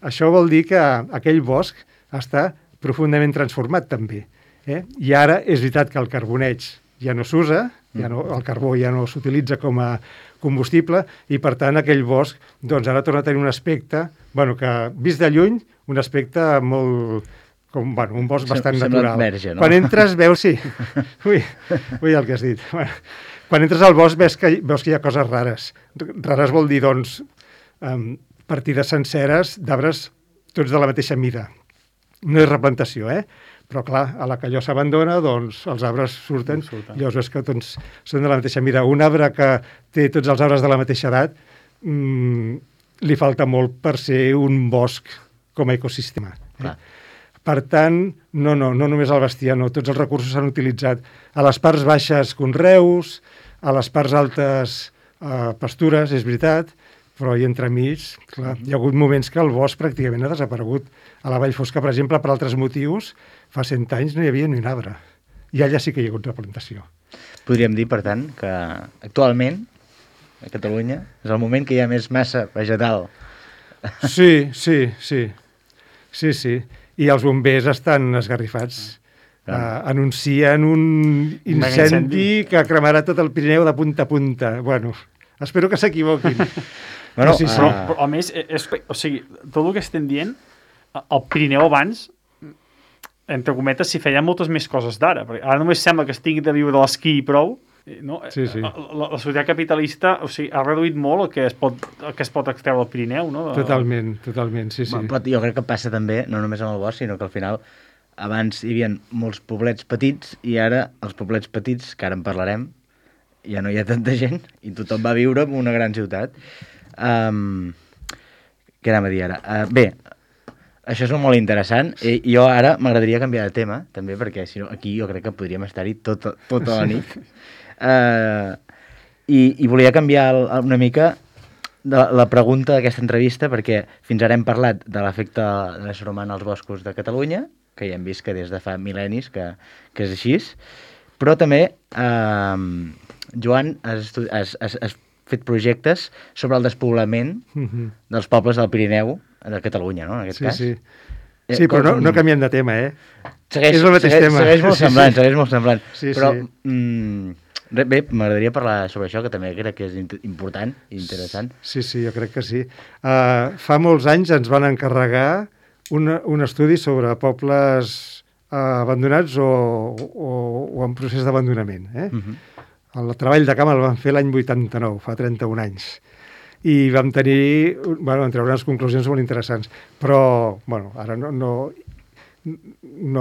això vol dir que aquell bosc està profundament transformat, també. I ara és veritat que el carboneig ja no s'usa, el carbó ja no s'utilitza com a combustible, i per tant aquell bosc doncs ara torna a tenir un aspecte, que vist de lluny, un aspecte molt com un bosc bastant sembla natural. verge, no? Quan entres veus, sí, ui el que has dit. Quan entres al bosc veus que hi ha coses rares. Rares vol dir, doncs, partides senceres d'arbres tots de la mateixa mida. No és replantació, però clar, a la que allò s'abandona, doncs els arbres surten. Llavors veus que doncs, són de la mateixa mida. Un arbre que té tots els arbres de la mateixa edat li falta molt per ser un bosc com a ecosistema. Per tant, no només el bestiar, no, tots els recursos s'han utilitzat. A les parts baixes conreus, a les parts altes pastures, és veritat, però i entremig, clar, hi ha hagut moments que el bosc pràcticament ha desaparegut. A la Vall Fosca, per exemple, per altres motius, fa 100 anys no hi havia ni un arbre. I allà sí que hi ha hagut replantació. Podríem dir, per tant, que actualment a Catalunya és el moment que hi ha més massa vegetal. Sí. I els bombers estan esgarrifats. Anuncien un incendi que cremarà tot el Pirineu de punta a punta. Bueno, espero que s'equivoquin. Bueno, però a més, o sigui, tot el que estem dient, el Pirineu abans, entre cometes, s'hi feien moltes més coses d'ara. Ara només sembla que es tingui de viure de l'esquí i prou. No? Sí. La societat capitalista, o sigui, ha reduït molt el que es pot extreure del Pirineu, no? Totalment, sí. Però jo crec que passa també, no només amb el bosc, sinó que al final abans hi havia molts poblets petits i ara els poblets petits, que ara en parlarem, ja no hi ha tanta gent i tothom va viure en una gran ciutat. Què anava a dir ara? Bé, això és molt interessant. Jo ara m'agradaria canviar de tema, també, perquè si no, aquí jo crec que podríem estar-hi tota la nit. I volia canviar una mica la pregunta d'aquesta entrevista, perquè fins ara hem parlat de l'efecte de l'ésser humà als boscos de Catalunya, que ja hem vist que des de fa mil·lennis que és així, però també, Joan, has fet projectes sobre el despoblament dels pobles del Pirineu, de Catalunya, no?, en aquest cas. Sí, però no canviem de tema, Segueix és el mateix tema. Segueix molt semblant. Sí. Però, bé, m'agradaria parlar sobre això, que també crec que és important i interessant. Sí, jo crec que sí. Fa molts anys ens van encarregar un estudi sobre pobles abandonats o en procés d'abandonament. El treball de camp el vam fer l'any 89, fa 31 anys. I vam tenir, vam treure unes conclusions molt interessants. Però, ara no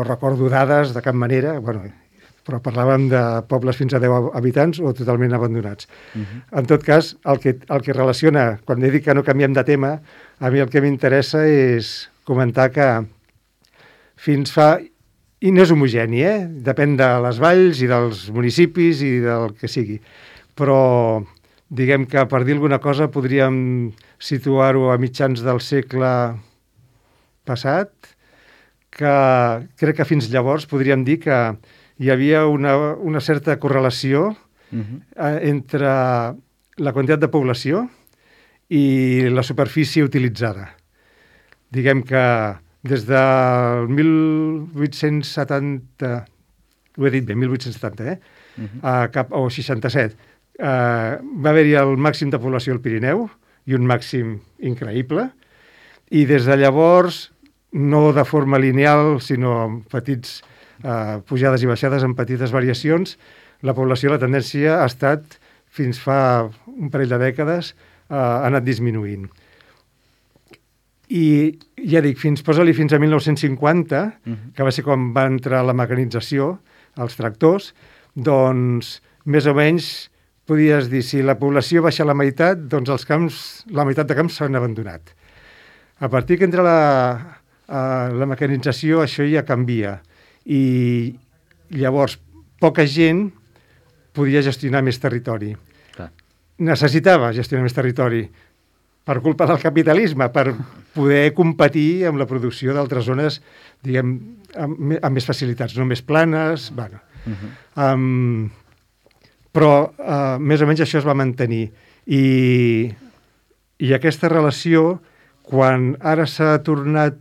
recordo dades de cap manera, però parlàvem de pobles fins a 10 habitants o totalment abandonats. En tot cas, el que relaciona, quan he dit que no canviem de tema, a mi el que m'interessa és comentar que fins fa... I no és homogeni, depèn de les valls i dels municipis i del que sigui. Però, diguem que per dir alguna cosa podríem situar-ho a mitjans del segle passat, que crec que fins llavors podríem dir que hi havia una certa correlació entre la quantitat de població i la superfície utilitzada. Diguem que des del 1870, ho he dit bé, 1870, o 67, va haver-hi el màxim de població al Pirineu, i un màxim increïble, i des de llavors, no de forma lineal, sinó amb petits pujades i baixades, amb petites variacions, la població, la tendència ha estat, fins fa un parell de dècades, ha anat disminuint. I ja dic, posa-li fins a 1950, que va ser quan va entrar la mecanització, els tractors, doncs més o menys podies dir, si la població baixa la meitat, doncs la meitat de camps s'han abandonat. A partir que entra la mecanització, això ja canvia. I llavors, poca gent podia gestionar més territori. Necessitava gestionar més territori per culpa del capitalisme, per poder competir amb la producció d'altres zones, diguem, amb més facilitats, no més planes, però més o menys això es va mantenir. I aquesta relació, quan ara s'ha tornat,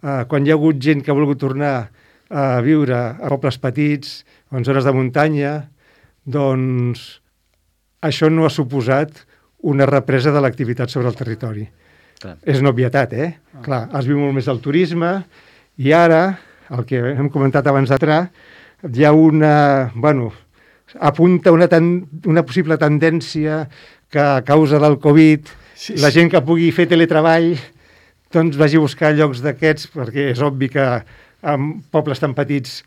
quan hi ha hagut gent que ha volgut tornar a viure a pobles petits, en zones de muntanya, doncs això no ha suposat una represa de l'activitat sobre el territori. És una obvietat, Clar, es viu molt més del turisme i ara, el que hem comentat abans d'entrar, hi ha apunta una possible tendència que a causa del Covid la gent que pugui fer teletreball doncs vagi a buscar llocs d'aquests, perquè és obvi que en pobles tan petits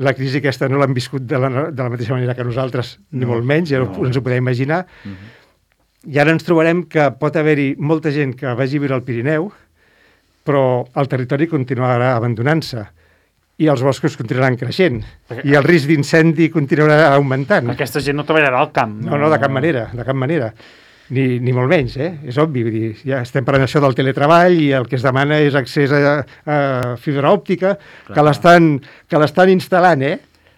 la crisi aquesta no l'han viscut de la mateixa manera que nosaltres, ni molt menys, ja ens ho podem imaginar. I ara ens trobarem que pot haver-hi molta gent que vagi a viure al Pirineu, però el territori continuarà abandonant-se i els boscos continuaran creixent i el risc d'incendi continuarà augmentant. Aquesta gent no treballarà al camp. No, de cap manera. Ni molt menys, És obvi. Vull dir, ja estem parlant això del teletreball i el que es demana és accés a fibra òptica, que l'estan instal·lant,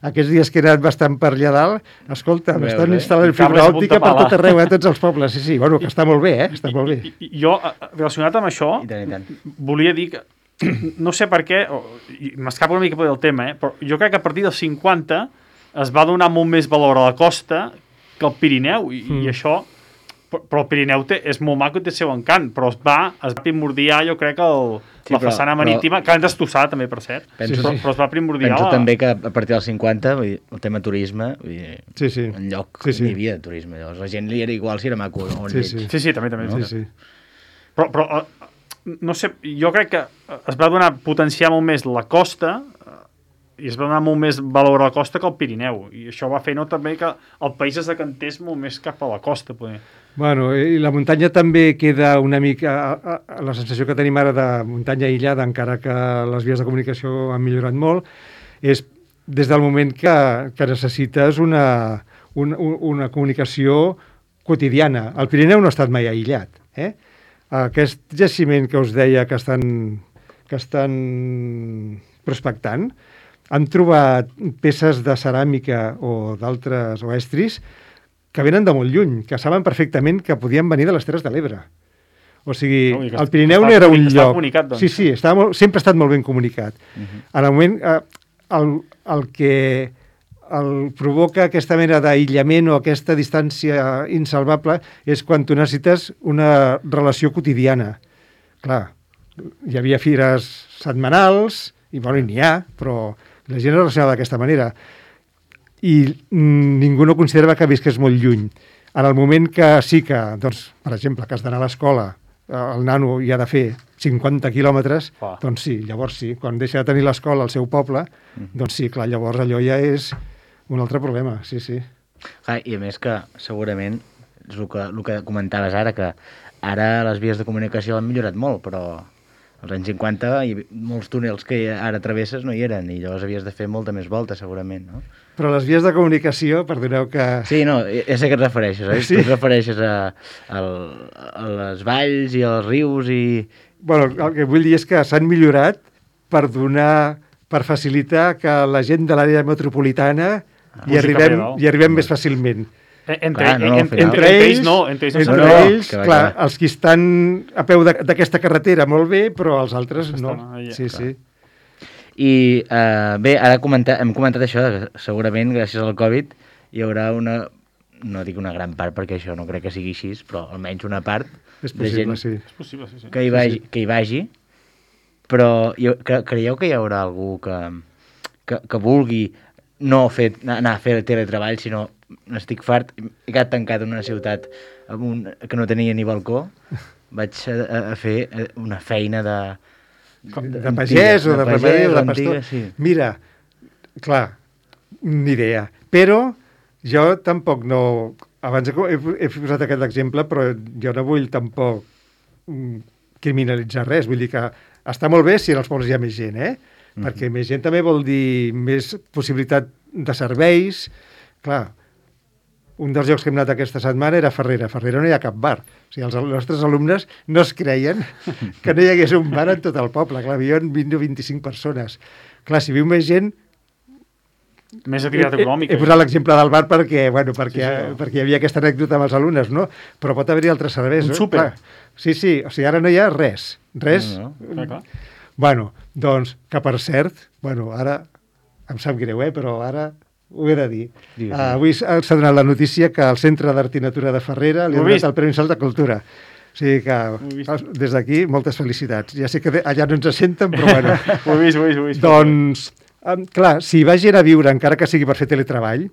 Aquests dies que he anat bastant per allà dalt, escolta, m'estan instal·lant fibra òptica per tot arreu, a tots els pobles. Sí, bueno, que està molt bé, Està molt bé. Jo, relacionat amb això, volia dir que, no sé per què, m'escapa una mica del tema, però jo crec que a partir dels 50 es va donar molt més valor a la costa que al Pirineu, i això... Però el Pirineu és molt maco i té el seu encant, però es va primordiar, jo crec, la façana marítima, que han destossat també, per cert, però es va primordiar... Penso també que a partir dels 50, el tema turisme, enlloc hi havia turisme. Llavors, la gent li era igual si era maco o on lleig. Sí, també. Però, no sé, jo crec que es va potenciar molt més la costa i es va donar molt més valor a la costa que al Pirineu. I això va fer també que el país es decantés molt més cap a la costa, poder. Bueno, i la muntanya també queda una mica... La sensació que tenim ara de muntanya aïllada, encara que les vies de comunicació han millorat molt, és des del moment que necessites una comunicació quotidiana. El Pirineu no ha estat mai aïllat. Aquest jaciment que us deia que estan prospectant, han trobat peces de ceràmica o d'altres estris que venen de molt lluny, que saben perfectament que podien venir de les Terres de l'Ebre. O sigui, el Pirineu no era un lloc... Doncs. Sí, sempre ha estat molt ben comunicat. En el moment, el que provoca aquesta mena d'aïllament o aquesta distància insalvable és quan tu necessites una relació quotidiana. Clar, hi havia fires setmanals, i n'hi ha, però la gent es relacionava d'aquesta manera. I ningú no considerava que visqués molt lluny. En el moment que sí que, doncs, per exemple, que has d'anar a l'escola, el nano hi ha de fer 50 quilòmetres, doncs sí, llavors sí. Quan deixa de tenir l'escola al seu poble, doncs sí, clar, llavors allò ja és un altre problema, sí. I a més que segurament és el que comentaves ara, que ara les vies de comunicació han millorat molt, però als anys 50 molts túnels que ara travesses no hi eren i llavors havies de fer molta més volta, segurament, no? Però les vies de comunicació, perdoneu que... Sí, no, ja sé que et refereixes, Sí? Tu et refereixes a les valls i als rius i... Bueno, el que vull dir és que s'han millorat per facilitar que la gent de l'àrea metropolitana hi arribem més fàcilment. Entre ells, clar, els que estan a peu d'aquesta carretera molt bé, però els altres no. Sí. I bé, ara hem comentat això, que segurament gràcies al Covid hi haurà no dic una gran part perquè això no crec que sigui així, però almenys una part de gent que hi vagi, però creieu que hi haurà algú que vulgui no anar a fer teletreball, sinó n'estic fart, he quedat tancat en una ciutat que no tenia ni balcó, vaig a fer una feina de pagès o de remedi o de pastor. Sí. Mira, clar, ni idea. Però jo tampoc no... Abans he posat aquest exemple, però jo no vull tampoc criminalitzar res. Vull dir que està molt bé si en els pobles hi ha més gent, perquè més gent també vol dir més possibilitat de serveis. Clar, un dels llocs que hem anat aquesta setmana era Farrera. A Farrera no hi ha cap bar. O sigui, els nostres alumnes no es creien que no hi hagués un bar en tot el poble. Clar, viuen 20 o 25 persones. Clar, si viu més gent... Més activitat econòmica. He posat l'exemple del bar perquè hi havia aquesta anècdota amb els alumnes, no? Però pot haver-hi altres serveis. Un súper. Sí, o sigui, ara no hi ha res. Res. Clar. Bueno, doncs, que per cert, ara em sap greu, però ara ho he de dir. Avui s'ha donat la notícia que el Centre d'Art i Natura de Farrera li ha donat el Premi Salt de Cultura. O sigui que, des d'aquí, moltes felicitats. Ja sé que allà no ens senten, però bueno. Ho he vist. Doncs, clar, si va gent a viure, encara que sigui per fer teletreball,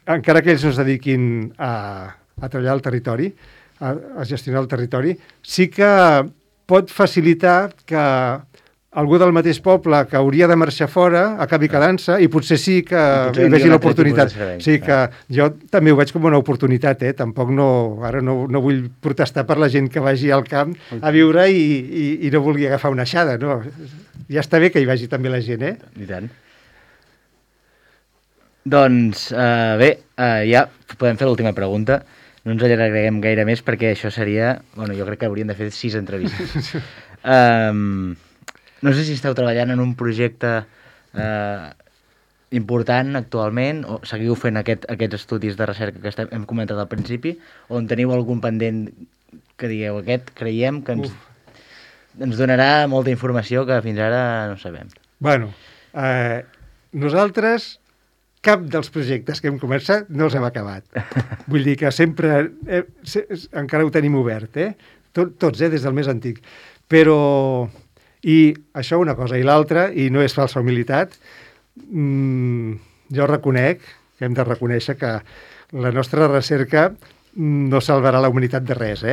encara que ells no es dediquin a treballar al territori, a gestionar el territori, sí que pot facilitar que algú del mateix poble que hauria de marxar fora acabi quedant-se i potser sí que hi vegi l'oportunitat. Sí que jo també ho veig com una oportunitat, tampoc ara no vull protestar per la gent que vagi al camp a viure i no vulgui agafar una aixada, no? Ja està bé que hi vagi també la gent, I tant. Doncs bé, ja podem fer l'última pregunta. No ens allargarem gaire més perquè això seria... Bueno, jo crec que hauríem de fer 6 entrevistes. No sé si esteu treballant en un projecte important actualment o seguiu fent aquests estudis de recerca que hem comentat al principi o en teniu algun pendent que digueu creiem que ens donarà molta informació que fins ara no sabem. Bueno, nosaltres cap dels projectes que hem començat no els hem acabat. Vull dir que sempre encara ho tenim obert, tots, des del més antic. Però, i això una cosa, i l'altra, i no és falsa humilitat, jo reconec que hem de reconèixer que la nostra recerca no salvarà la humanitat de res,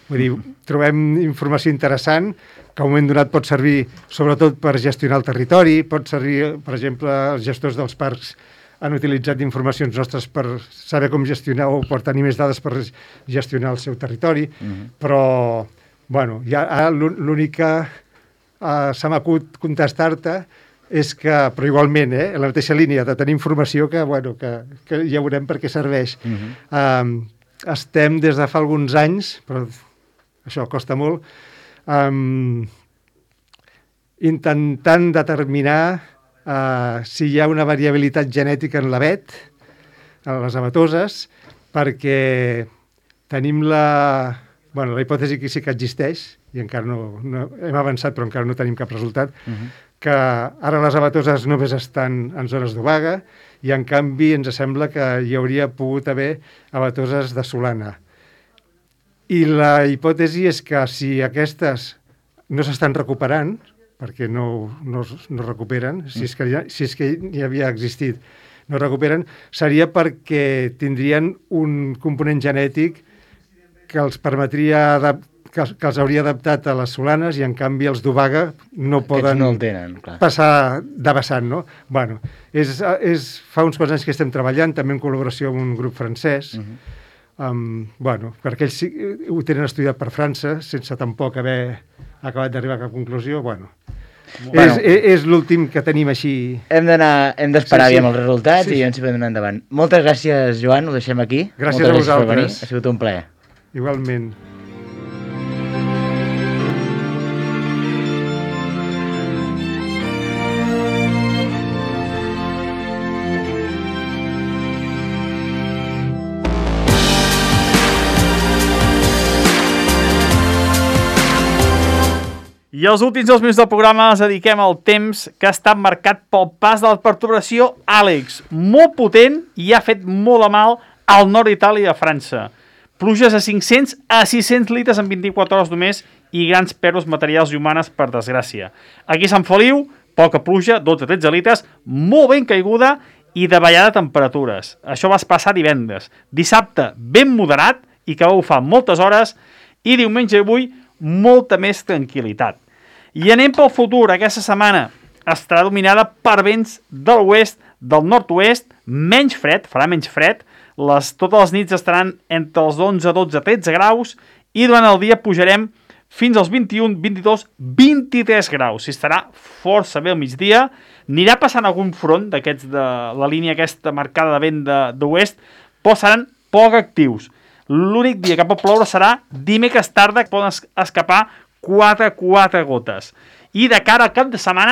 Vull dir, trobem informació interessant que a un moment donat pot servir sobretot per gestionar el territori, pot servir, per exemple, els gestors dels parcs han utilitzat informacions nostres per saber com gestionar o per tenir més dades per gestionar el seu territori, però, bueno, l'únic que se m'acut contestar-te és que, però igualment, en la mateixa línia de tenir informació que ja veurem per què serveix. Estem des de fa alguns anys, però això costa molt, intentant determinar si hi ha una variabilitat genètica en l'avet, en les avetoses, perquè tenim la hipòtesi que sí que existeix, i encara no hem avançat però encara no tenim cap resultat, que ara les avetoses només estan en zones d'obaga i en canvi ens sembla que hi hauria pogut haver avetoses de solana. I la hipòtesi és que si aquestes no s'estan recuperant, perquè no recuperen, si és que hi havia existit, no recuperen, seria perquè tindrien un component genètic que els permetria que els hauria adaptat a les solanes i en canvi els d'obaga no poden passar de vessant, no? Bueno, fa uns quants anys que estem treballant, també en col·laboració amb un grup francès, perquè ells ho tenen estudiat per França, sense tampoc haver acabat d'arribar a cap conclusió, és l'últim que tenim així. Hem d'esperar aviam els resultats i ens hi podem anar endavant. Moltes gràcies, Joan, ho deixem aquí. Gràcies a vosaltres. Ha sigut un plaer. Igualment. I els últims 2 minuts del programa els dediquem al temps que ha estat marcat pel pas de la perturbació Àlex, molt potent i ha fet molt de mal al nord d'Itàlia i a França. Pluges de 500 a 600 litres en 24 hores només i grans pèrdues materials i humanes, per desgràcia. Aquí a Sant Feliu, poca pluja, 12-13 litres, molt ben caiguda i de ballada temperatures. Això va passar divendres. Dissabte, ben moderat i que va bufar moltes hores i diumenge i avui molta més tranquil·litat. I anem pel futur. Aquesta setmana estarà dominada per vents de l'oest, del nord-oest, menys fred, farà menys fred, totes les nits estaran entre els 11, 12, 13 graus i durant el dia pujarem fins als 21, 22, 23 graus. Si estarà força bé al migdia, anirà passant algun front d'aquests de la línia aquesta marcada de vent d'oest, però seran poc actius. L'únic dia que pot ploure serà dimecres tarda, que poden escapar 4 gotes. I de cara al cap de setmana